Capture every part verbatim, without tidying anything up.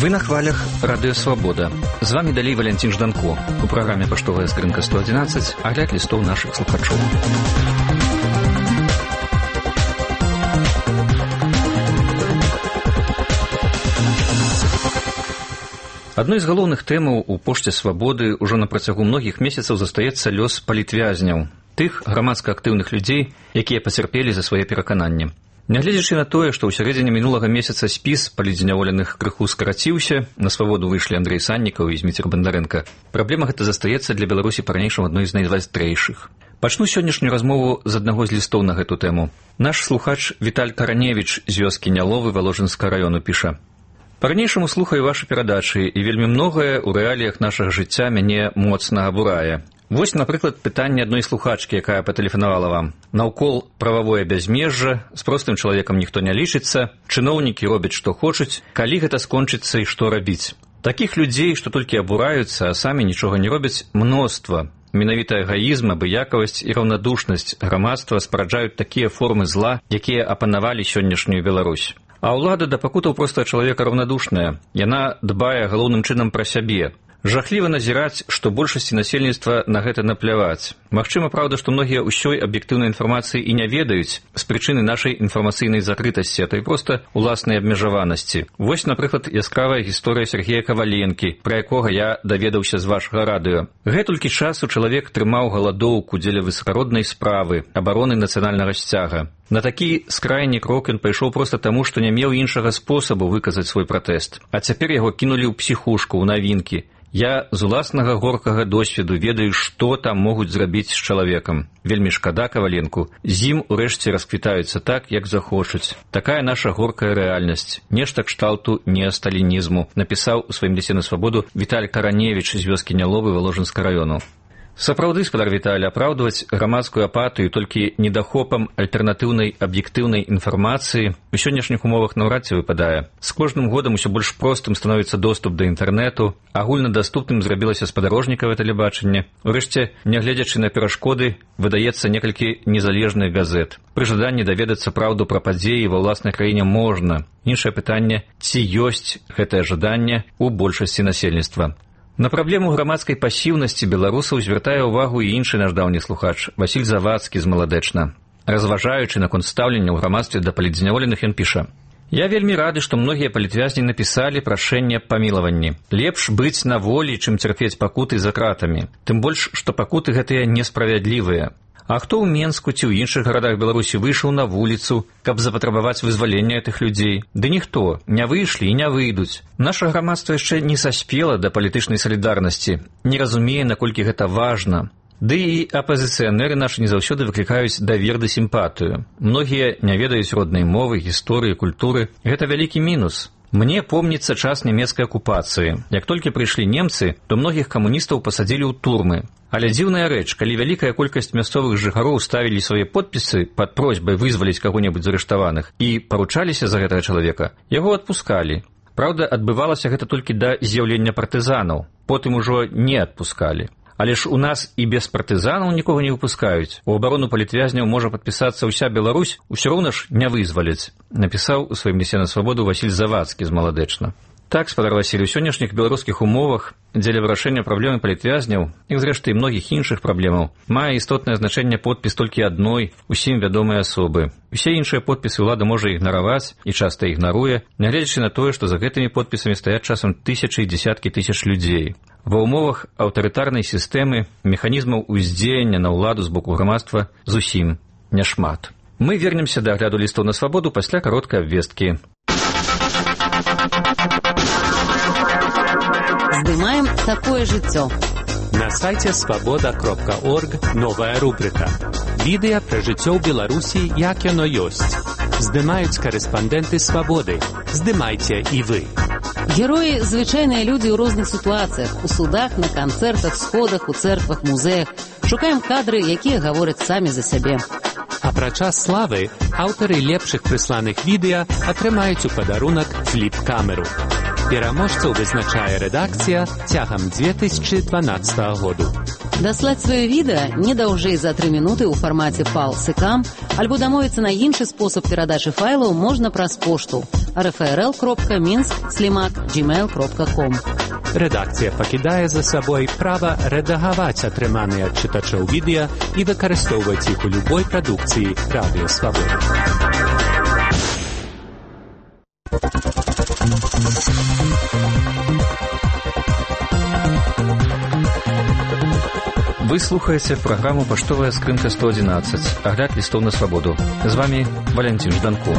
Вы на хвалях Радыё Свабода. З вами далей Валянцін Жданко. У праграме «Паштовая скрынка сто адзінаццаць» агляд лістоў нашых слухачоў. Адной з галоўных тэмаў у пошце свабоды ўжо на працягу многіх месяцаў застаецца лёс палітвязняў, тых грамадска актыўных людзей, якія пацярпелі за свае перакананні. Нягледзячы на тое, што ў сярэдзіне мінулага месяца спіс палітзняволеных крыху скараціўся, на свабоду выйшлі Андрэй Саннікаў і Зміцер Бандарэнка, праблема гэта застаецца для Беларусі па-ранейшаму адной з найвастрэйшых. Пачну сённяшнюю размову з аднаго з лістоў на гэту тэму. Наш слухач Віталь Караневіч з вёскі Няловы Валожынскага раёну піша: «Па-ранейшаму слухаю вашы перадачы, і вельмі многае ў рэаліях нашага жыцця мяне моцна абурае. Вось, напрыклад, пытанне адной слухачкі, якая патэлефанавала вам. Наўкол прававое бязмежжа, з простым чалавекам ніхто не лічыцца, чыноўнікі робяць, што хочуць, калі гэта скончыцца і што рабіць. Такіх людзей, што толькі абураюцца, а самі нічога не робяць, мноства. Менавіта эгоізм, абыякавасць і раўнадушнасць грамадства спараджаюць такія формы зла, якія апанавалі сённяшнюю Беларусь. А ўлада да пакутаў проста чалавека раўнадушная. Яна дбае галоўным чынам пра сябе. Жахліва назіраць, што большасці насельніцтва на гэта напляваць. Магчыма, праўда, што многія ўсёй аб'ектыўнай інфармацыі і не ведаюць з прычыны нашай інфармацыйнай закрытасці, а то і проста уласнай абмежаванасці. Вось, напрыклад, яскравая гісторыя Сергея Каваленкі, пра якога я даведаўся з вашага радыё. Гэтулькі часу чалавек трымаў галадоўку дзеля высакароднай справы, абароны нацыянальнага сцяга. На такі скрайні крок ён пайшоў проста таму, што не меў іншага спосабу выказаць свой пратэст. А цяпер яго кінулі ў псіхушку, ў навінкі. Я з уласнага горкага досведу ведаю, што там могуць зрабіць з чалавекам. Вельмі шкада Каваленку. З ім урэшце расквітаюцца так, як захочуць. Такая наша горкая рэальнасць. Нешта кшталту неасталінізму, напісаў у сваім лісце на свабоду Віталь Караневіч з вёскі Няловы Валожынскага раёну. Сапраўды, спадар Віталь, апраўдваць грамадскую апатыю толькі недахопам альтэрнатыўнай аб'ектыўнай інфармацыі у сённяшніх умовах наўрад ці выпадае. З кожным годам усё больш простым становіцца доступ да інтэрнэту, агульнадаступным зрабілася спадарожнікавае тэлебачанне. Урэшце, нягледзячы на перашкоды, выдаецца некалькі незалежных газет. Пры жаданні даведацца праўду пра падзеі ва ўласнай краіне можна. Іншае пытанне, ці ёсць гэтае жаданне ў большасці насельніцтва. На праблему грамадскай пасіўнасці беларусаў звяртае ўвагу і іншы наш даўні слухач, Васіль Завадскі з Маладэчна. Разважаючы наконт стаўлення ў грамадстве да палітзняволеных, ён піша: «Я вельмі рады, што многія палітвязні напісалі прашэнне аб памілаванні. Лепш быць на волі, чым цярпець пакуты за кратамі. Тым больш, што пакуты гэтыя несправядлівыя. А хто ў Менску ці ў іншых гарадах Беларусі выйшаў на вуліцу, каб запатрабаваць вызвалення гэтых людзей? Ды ніхто, не выйшлі і не выйдуць. Наша грамадства яшчэ не саспела да палітычнай салідарнасці, не разумее, наколькі гэта важна. Ды і апазіцыянеры нашы не заўсёды выклікаюць давер ды сімпатыю. Многія не ведаюць роднай мовы, гісторыі, культуры. Гэта вялікі мінус. Мне помніцца час нямецкай акупацыі. Як толькі прыйшлі немцы, то многіх камуністаў пасадзілі ў турмы. Але дзіўная рэч, калі вялікая колькасць мясцовых жыхароў ставілі свае подпісы пад просьбай вызваліць каго-небудзь з арыштаваных і паручаліся за гэтага чалавека, яго адпускалі. Праўда, адбывалася гэта толькі да з'яўлення партызанаў, потым ужо не адпускалі. Але ж у нас і без партызанаў нікога не выпускаюць. У абарону палітвязняў можа падпісацца ўся Беларусь, усё роўна ж не вызваляць», напісаў у сваім лісце на свабоду Васіль Завадскі з Маладэчна. Так, спадар Васіль, у сённяшніх беларускіх умовах дзеля вырашэння праблемы палітвязняў і, зрэшты, многіх іншых праблемаў мае істотнае значэнне подпіс толькі адной усім вядомай асобы. Усе іншыя подпісы ўлада можа ігнараваць і часта ігнаруе, нягледзячы на тое, што за гэтымі подпісамі стаяць часам тысячы і дзесяткі тысяч людзей. Ва ўмовах аўтарытарнай сістэмы механізмаў уздзеяння на ўладу з боку грамадства зусім няшмат. Мы вернемся да агляду лістоў на свабоду пасля кароткай абвесткі. Здымаем такое жыццё. На сайце свабода кропка орг новая рубрика. Відэа пра жыццё ў Беларусі, як яно ёсць. Здымаюць карэспандэнты свабоды. Здымайце і вы. Героі – звычайныя людзі ў розных сітуацыях, у судах, на канцэртах, сходах, у цэрквах, музеях. Шукаем кадры, якія гавораць самі за сябе. А пра час славы аўтары лепшых прысланых відэа атрымаюць у падарунак фліп-камеру. Пераможцаў вызначае рэдакцыя цягам дзве тысячы дванаццатага году. Даслаць сваё відэа не даўжэй за тры мінуты ў фармаце пал эс кам альбо дамовіцца на іншы спосаб перадачы файлаў можна праз пошту эр эф эр эл кропка мінск слімак джімейл кропка ком. Рэдакцыя пакідае за сабой права рэдагаваць атрыманыя ад чытачоў відэа і выкарыстоўваць іх у любой прадукцыі Радыё Свабода. Вы слухаеце праграму «Паштовая скрынка сто адзінаццаць», агляд лістоў на свабоду. З вами Валентин Жданко.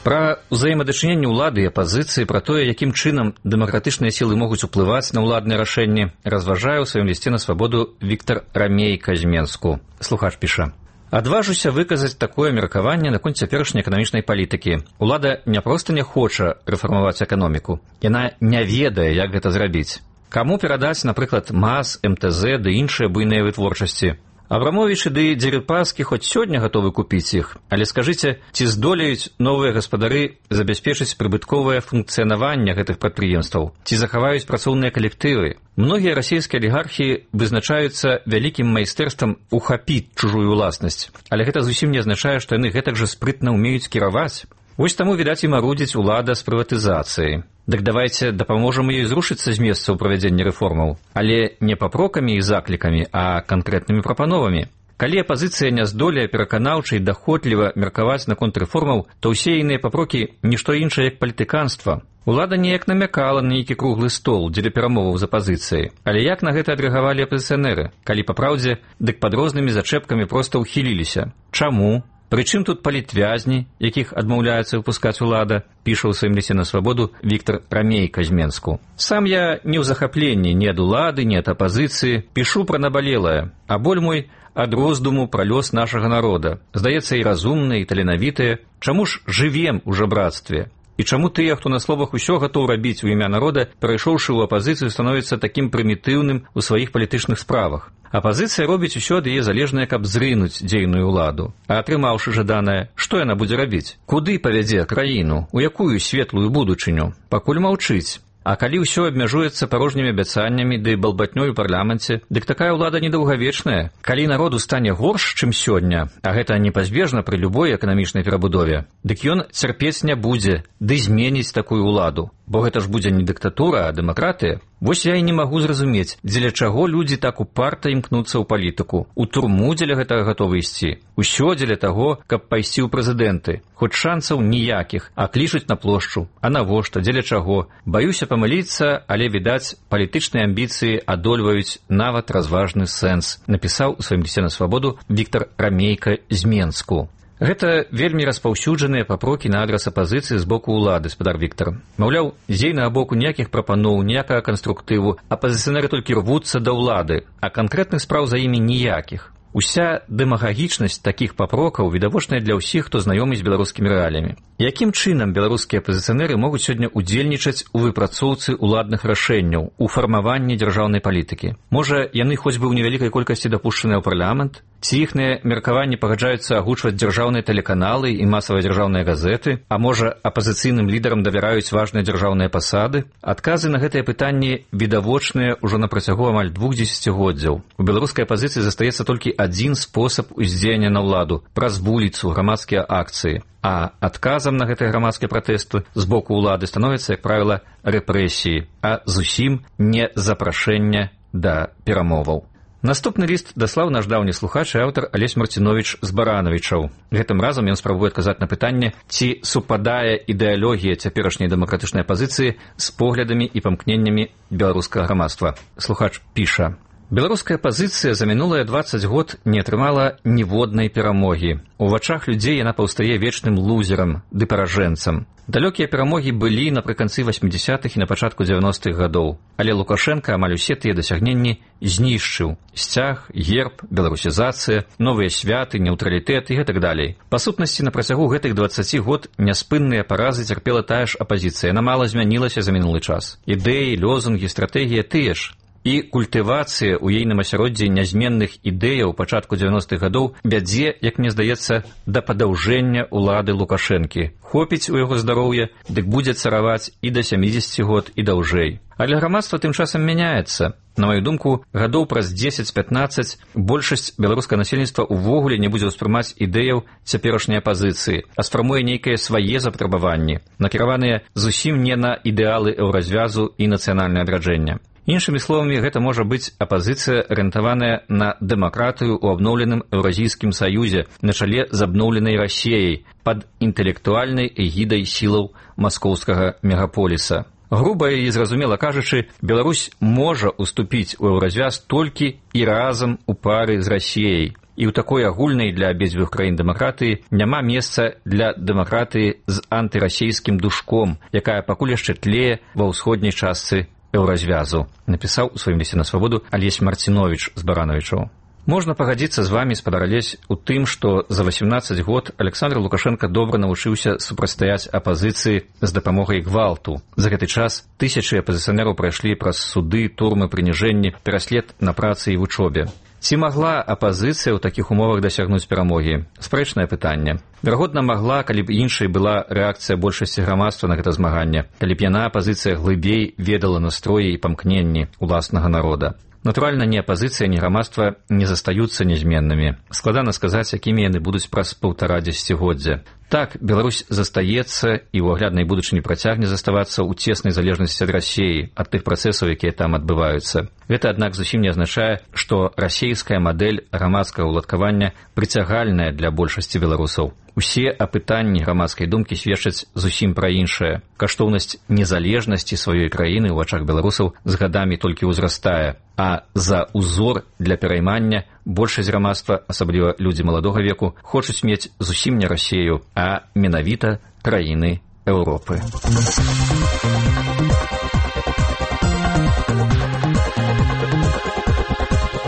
Пра ўзаемадачыненне ўлады і апазіцыі, пра тое, якім чынам дэмакратычныя сілы могуць уплываць на ўладныя рашэнні, разважае ў сваім лісце на свабоду Віктар Рамейка з Менску. Слухач піша: «Адважуся выказаць такое меркаванне наконт цяперашняй эканамічнай палітыкі. Улада не проста не хоча рэфармаваць эканоміку, яна не ведае, як гэта зрабіць. Каму перадаць, напрыклад, МАЗ, эм тэ зэ ды іншыя буйныя вытворчасці? Абрамовічы ды Дзерыпаскі хоць сёння гатовы купіць іх, але скажыце, ці здолеюць новыя гаспадары забяспечыць прыбытковае функцыянаванне гэтых прадпрыемстваў? Ці захаваюць працоўныя калектывы? Многія расійскія алігархі вызначаюцца вялікім майстэрствам ухапіць чужую ўласнасць, але гэта зусім не азначае, што яны гэтак жа спрытна ўмеюць кіраваць. Вось таму, відаць, і марудзіць улада з прыватызацыяй. Дык давайце дапаможам ёй зрушыцца з месца ў правядзенні рэформаў, але не папрокамі і заклікамі, а канкрэтнымі прапановамі. Калі апазіцыя не здолее пераканаўча і даходліва меркаваць наконт рэформаў, то ўсе іныя папрокі нішто іншае, як палітыканства. Улада неяк намякала на нейкі круглы стол дзеля перамоваў з апазіцыяй, але як на гэта адрэагавалі апазіцыянеры? Калі па праўдзе, дык пад рознымі зачэпкамі проста ўхіліліся. Чаму? Прычым тут палітвязні, якіх адмаўляецца выпускаць улада, піша ў сваім лісце на свабоду Віктар Рамейка з Менску. Сам я не ў захапленні ні ад улады, ні ад апазіцыі, пішу пра набалелае, а боль мой ад роздуму пра лёс нашага народа. Здаецца, і разумныя, і таленавітыя. Чаму ж жывем у жабрацтве? І чаму тыя, хто на словах усё гатоў рабіць у імя народа, перайшоўшы ў апазіцыю, становіцца такім прымітыўным у сваіх палітычных справах? Апазіцыя робіць усё ад яе залежнае, каб зрынуць дзейную ўладу. А атрымаўшы жаданае, што яна будзе рабіць? Куды павядзе краіну? У якую светлую будучыню? Пакуль маўчыць. А калі ўсё абмяжуецца парожнімі абяцаннямі ды балбатнёй у парламенце, дык такая ўлада недаўгавечная. Калі народу стане горш, чым сёння, а гэта непазбежна пры любой эканамічнай перабудове, дык ён цярпець не будзе, ды зменіць такую ўладу. Бо гэта ж будзе не дыктатура, а дэмакратыя. Вось я і не магу зразумець, дзеля чаго людзі так упарта імкнуцца ў палітыку. У турму дзеля гэтага гатовы ісці. Усё дзеля таго, каб пайсці ў прэзідэнты. Хоць шансаў ніякіх, а клічуць на плошчу. А навошта, дзеля чаго? Баюся памыліцца, але, відаць, палітычныя амбіцыі адольваюць нават разважны сэнс, напісаў у сваім лісце на свабоду Віктар Рамейка з Менску. Гэта вельмі распаўсюджаныя папрокі на адрас апазіцыі з боку ўлады, спадар Віктар. Маўляў, з ейнага боку ніякіх прапаноў, ніякага канструктыву, апазіцыянеры толькі рвуцца да ўлады, а канкрэтных спраў за імі ніякіх. Уся дэмагагічнасць такіх папрокаў відавочная для ўсіх, хто знаёмы з беларускімі рэаліямі. Якім чынам беларускія апазіцыянеры могуць сёння удзельнічаць у выпрацоўцы ўладных рашэнняў, у фармаванні дзяржаўнай палітыкі? Можа, яны хоць бы ў невялікай колькасці дапушчаныя ў парламент? Ці іхныя меркаванні пагаджаюцца агучваць дзяржаўныя тэлеканалы і масавыя дзяржаўныя газеты? А можа, апазіцыйным лідарам давяраюць важныя дзяржаўныя пасады? Адказы на гэтыя пытанні відавочныя ўжо на працягу амаль двух дзесяцігоддзяў. У беларускай апазіцыі застаецца толькі адзін спосаб уздзеяння на ўладу – праз вуліцу, грамадскія акцыі. А адказам на гэтыя грамадскія пратэсты з боку ўлады становяцца, як правіла, рэпрэсіі, а зусім не запрашэнне да перамоваў. Наступны ліст даслаў наш даўні слухач і аўтар Алесь Марціновіч з Баранавічаў. Гэтым разам ён спрабуе адказаць на пытанне, ці супадае ідэалогія цяперашняй дэмакратычнай апазіцыі з поглядамі і памкненнямі беларускага грамадства. Слухач піша: «Беларуская апазіцыя за мінулыя дваццаць год не атрымала ніводнай перамогі. У вачах людзей яна паўстае вечным лузерам ды паражэнцам. Далёкія перамогі былі напрыканцы васьмідзясятых і на пачатку дзевяностых гадоў, але Лукашенка амаль усе тыя дасягненні знішчыў. Сцяг, герб, беларусізацыя, новыя святы, нейтралітэт і гэтак далей. Па сутнасці, на працягу гэтых дваццаці год няспынныя паразы цярпела тая ж апазіцыя. Яна мала змянілася за мінулы час. Ідэі, лозунгі, стратэгія тыя ж. і культывацыя ў ейным асяроддзі нязменных ідэяў пачатку дзевяностых гадоў вядзе, як мне здаецца, да падаўжэння ўлады Лукашэнкі. Хопіць у яго здароўя, дык будзе цараваць і да сямідзесяці год, і даўжэй. Але грамадства тым часам мяняецца. На маю думку, гадоў праз дзесяць-пятнаццаць большасць беларускага насельніцтва ўвогуле не будзе ўспрымаць ідэяў цяперашняй апазіцыі, а сфармуе нейкія свае запатрабаванні, накіраваныя зусім не на ідэалы еўразвязу і нацыянальнае адраджэння. Іншымі словамі, гэта можа быць апазіцыя, арыентаваная на дэмакратыю ў абноўленым Еўразійскім саюзе на чале з абноўленай Расіяй пад інтэлектуальнай эгідай сілаў маскоўскага мегаполіса. Груба і зразумела кажучы, Беларусь можа уступіць у еўразвяз толькі і разам у пары з Расіяй. І ў такой агульнай для абедзвюх краін дэмакратыі няма месца для дэмакратыі з антырасійскім душком, якая пакуль яшчэ тлее ва ўсходняй частцы еўразвязу, напісаў у сваім лісце на свабоду Алесь Марціновіч з Баранавічаў. Можна пагадзіцца з вамі, спадар Алесь, у тым, што за васемнаццаць год Александр Лукашенко добра навучыўся супрацьстаяць апазіцыі з дапамогай гвалту. За гэты час тысячы апазіцыянераў прайшлі праз суды, турмы, прыніжэнні, пераслед на працы і вучобе. Ці магла апазіцыя ў такіх умовах дасягнуць перамогі? Спрэчнае пытанне. Верагодна, магла, калі б іншай была рэакцыя большасці грамадства на гэта змаганне, калі б яна, апазіцыя, глыбей ведала настроі і памкненні уласнага народа. Натуральна, ні апазіцыя, ні грамадства не застаюцца нязменнымі. Складана сказаць, якімі яны будуць праз паўтара дзесяцігоддзя. Так, Беларусь застаецца і ў агляднай будучыні працягне заставацца ў цеснай залежнасці ад Расіі, ад тых працэсаў, якія там адбываюцца. Гэта, аднак, зусім не азначае, што расійская мадэль грамадскага ўладкавання прыцягальная для большасці беларусаў. Усе апытанні грамадскай думкі сведчаць зусім пра іншае. Каштоўнасць незалежнасці сваёй краіны ў вачах беларусаў з гадамі толькі ўзрастае, а за ўзор для пераймання большасць грамадства, асабліва людзі маладога веку, хочуць мець зусім не Расію, а менавіта краіны Еўропы.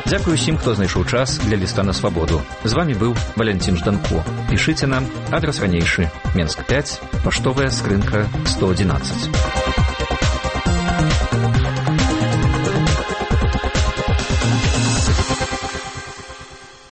Дзякую усім, хто знайшоў час для ліста на свабоду. З вамі быў Валянцін Жданко. Пішыце нам, адрас ранейшы, Менск пяць, паштовая скрынка сто адзінаццаць.